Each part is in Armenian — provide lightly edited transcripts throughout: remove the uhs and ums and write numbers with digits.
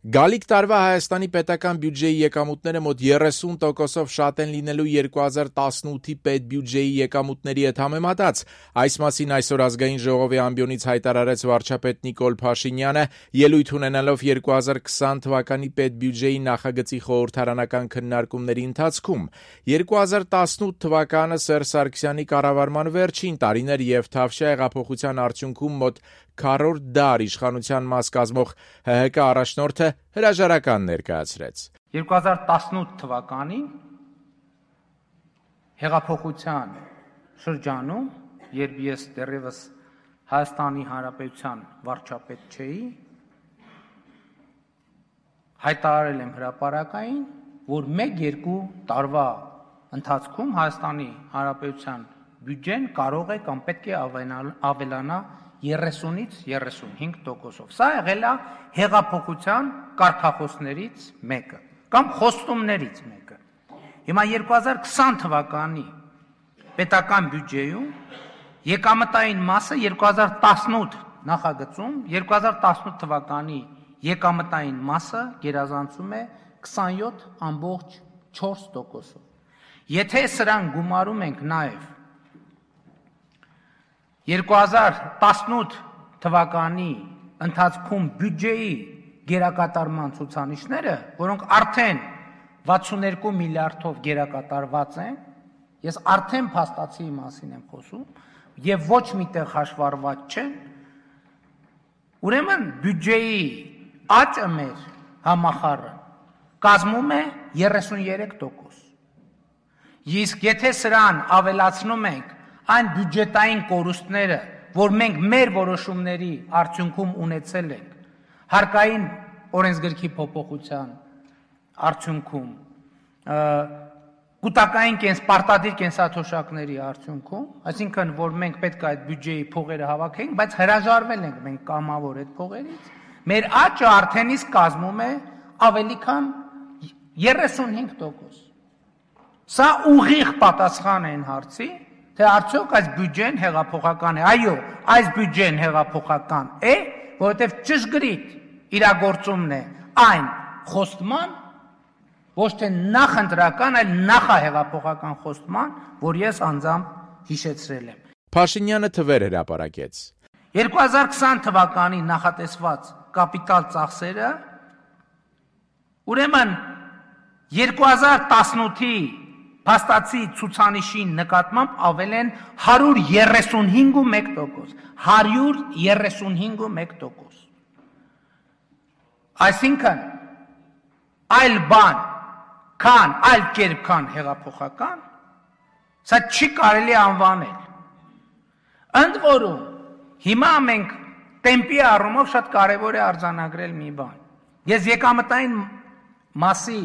Գալիք տարվա Հայաստանի պետական բյուջեի եկամուտները մոտ 30%-ով շատ են լինելու 2018-ի պետբյուջեի եկամուտների հետ համեմատած։ Այս մասին այսօր Ազգային ժողովի ամբիոնից հայտարարեց վարչապետ Նիկոլ Փաշինյանը, ելույթ ունենալով 2020 թվականի պետբյուջեի նախագծի խորհրդարանական քննարկումների ընթացքում։ 2018 թվականը Սերժ Սարգսյանի կառավարման վերջին տարին էր եւ Թավշյա հեղափոխության արդյունքում մոտ 40 դար իշխանության մաս կազմող ՀՀԿ առաջնորդը հրաժարական ներկայացրեց։ 2018 թվականին հեղափոխության շրջանում, երբ ես դեռևս Հայաստանի Հանրապետության վարչապետ չէի, հայտարարել եմ հրապարակային, որ 1-2 տարվա ընթացքում Հայաստանի Հանրապետության բյուջեն կարող է կամ պետք է ավելանա 30-ից 35%-ով։ Սա եղել է հեղափոխության կարգախոսներից մեկը կամ խոստումներից մեկը։ Հիմա 2020 թվականի պետական բյուջեում եկամտային մասը 2018 նախագծում 2018 թվականի եկամտային մասը գերազանցում է 27.4%-ով։ Եթե սրան գումարում ենք նաև 2018 թվականի ընթացքում բյուջեի գերակատարման ցուցանիշները, որոնք արդեն 62 միլիարդով գերակատարված են, ես արդեն փաստացի մասին եմ խոսում, եւ ոչ միտեղ հաշվառված չեն, ուրեմն բյուջեի աճը մեր համախառն կազմում է 33%։ Իսկ եթե սրան ավելացնում ենք այն բյուջետային կորուստները, որ մենք մեր որոշումների արդյունքում ունեցել ենք, հարկային օրենսգրքի փոփոխության արդյունքում, կൂട്ടակային պարտադիր կենսաթոշակների արդյունքում, այսինքն որ մենք պետք է այդ բյուջեի փողերը հավաքենք, բայց հրաժարվել ենք մենք կամավոր այդ փողերից, մեր աճը արդեն իսկ կազմում է ավելի քան 35%։ Սա ուղիղ պատասխան է այն հարցի, թե արդյոք այս բյուջեն հեղափոխական է։ Այո, այս բյուջեն հեղափոխական է, որովհետև ճշգրիտ իրագործումն է այն խոստման, ոչ թե նախընտրական, այլ նախահեղափոխական խոստման, որ ես անձամբ հիշեցրել եմ։ Փաշինյանը թվեր հրապարակեց։ 2020 թվականի նախատեսված կապիտալ ծախսերը, ուրեմն 2018-ի փաստացի ցուցանիշի նկատմամբ ավել են 135.1%, 135.1%։ Այսինքն այլ բան, այլ կերպ քան հեղափոխական, սա չի կարելի անվանել։ Ընդ որում, հիմա մենք տեմպի առումով շատ կարևոր է արձանագրել մի բան։ Ես եկամտային մասի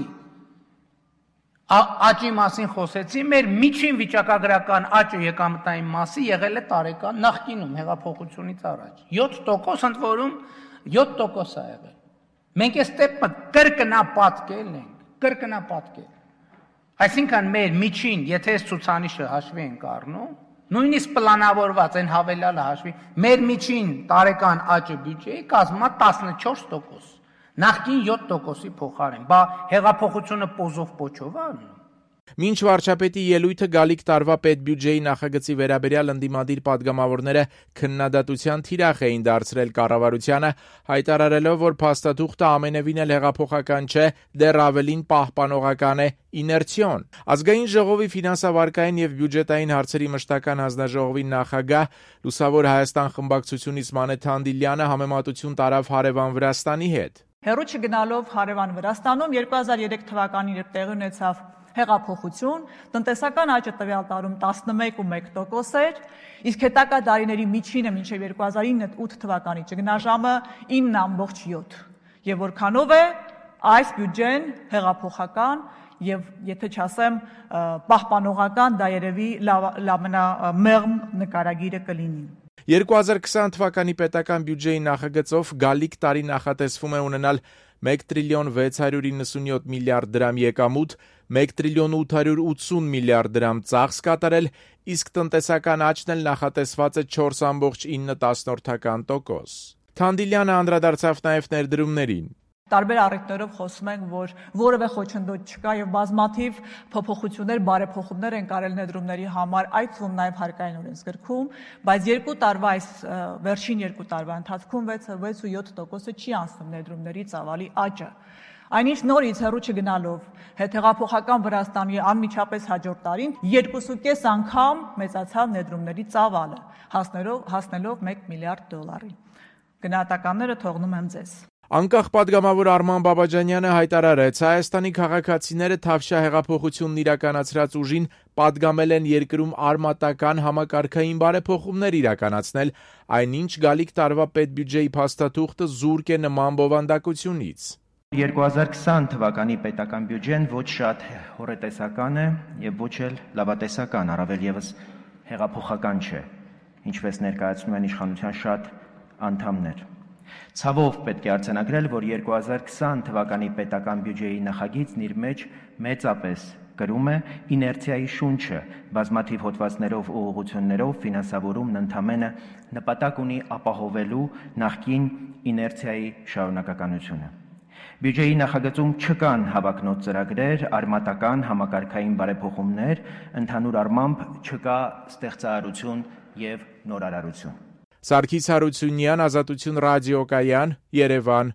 աճի մասին խոսեցի, մեր միջին վիճակագրական աճը եկամտային մասի եղել է տարեկան նախկինում հեղափոխությունից առաջ 7%, ընդ որում 7% է եղել։ Մենք այս տեպը կրկնապատկել ենք, կրկնապատկել։ Այսինքն մեր միջին, եթե այս ցուցանիշը հաշվի ենք առնում, նույնիսկ պլանավորված այն հավելյալը հաշվի, մեր միջին տարեկան աճը բյուջեի կազմում է 14%։ Նախկին 7%-ի փոխարեն, բա հեղափոխությունը պոզով պոչով է անում։ Մինչ վարչապետի ելույթը գալիք տարվա պետբյուջեի նախագծի վերաբերյալ ընդդիմադիր պատգամավորները քննադատության թիրախ էին դարձրել կառավարությանը, հայտարարելով, որ փաստաթուղթը ամենևին էլ հեղափոխական չէ, դեռ ավելին պահպանողական է, իներցիոն։ Ազգային ժողովի ֆինանսավարկային եւ բյուջետային հարցերի մշտական հանձնաժողովի նախագահ Լուսավոր Հայաստան խմբակցությունից Մանե Թանդիլյանը համեմատություն տարավ հարևան Վրաստանի հետ։ Հեռու չգնալով հարևան Վրաստանում 2003 թվականին երբ տեղի ունեցավ հեղափոխություն, տնտեսական աճը տվյալ տարում 11.1% էր, իսկ հետագա տարիների միջինը մինչև 2009-8 թվականի ճգնաժամը 9.7%։ Եվ որքանով է այս բյուջեն հեղափոխական եւ եթե չասեմ պահպանողական, դա երևի ամենամեղմ նկարագիրը կլինի։ 2020 թվականի պետական բյուջեի նախագծով գալիք տարի նախատեսվում է ունենալ 1 տրիլիոն 697 միլիարդ դրամ եկամուտ, 1 տրիլիոն 880 միլիարդ դրամ ծախս կատարել, իսկ տնտեսական աճն էլ նախատեսված է 4.9%։ Թանդիլյանը անդրադարձավ նաև ներդրումներին։ Տարբեր առիթներով խոսում ենք, որ որևէ խոչընդոտ չկա եւ բազմաթիվ փոփոխություններ, բարեփոխումներ են կարել ներդրումների համար, այդ թվում նաեւ հարկային օրենսգրքում, բայց 2 տարվա այս վերջին 2 տարվա ընթացքում 6.7% չի անցնում ներդրումների ծավալի աճը։ Այնինչ նորից հեռու չգնալով հետհեղափոխական Վրաստանի անմիջապես հաջորդ տարին 2.5 անգամ մեծացավ ներդրումների ծավալը, հասնելով $1 միլիարդ։ Գնահատականները թողնում եմ ձեզ։ Անկախ պատգամավոր Արման Բաբաջանյանը հայտարարեց, Հայաստանի քաղաքացիները Թավշյա հեղափոխությունն իրականացրած ուժին պատգամել են երկրում արմատական համակարգային բարեփոխումներ իրականացնել, այնինչ գալիք տարվա պետբյուջեի փաստաթուղթը զուրկ է նման բովանդակությունից։ 2020 թվականի պետական բյուջեն ոչ շատ հոռետեսական է եւ ոչ էլ լավատեսական, առավել եւս հեղափոխական չէ, ինչպես ներկայացնում են իշխանության շատ անդամներ։ Ցավով պետք է արձանագրել, որ 2020 թվականի պետական բյուջեի նախագիծն իր մեջ մեծապես կրում է իներցիայի շունչը, բազմաթիվ հոդվածներով ու ուղղություններով ֆինանսավորումն ընդամենը նպատակ ունի ապահովելու նախկին իներցիայի շարունակականությունը։ Բյուջեի նախագծում չկան հավակնոտ ծրագրեր, արմատական համակարգային բարեփոխումներ, ընդհանուր առմամբ չկա ստեղծարարություն եւ նորարարություն։ Սարգիս Հարությունյան, Ազատություն ռադիոկայան, Երևան։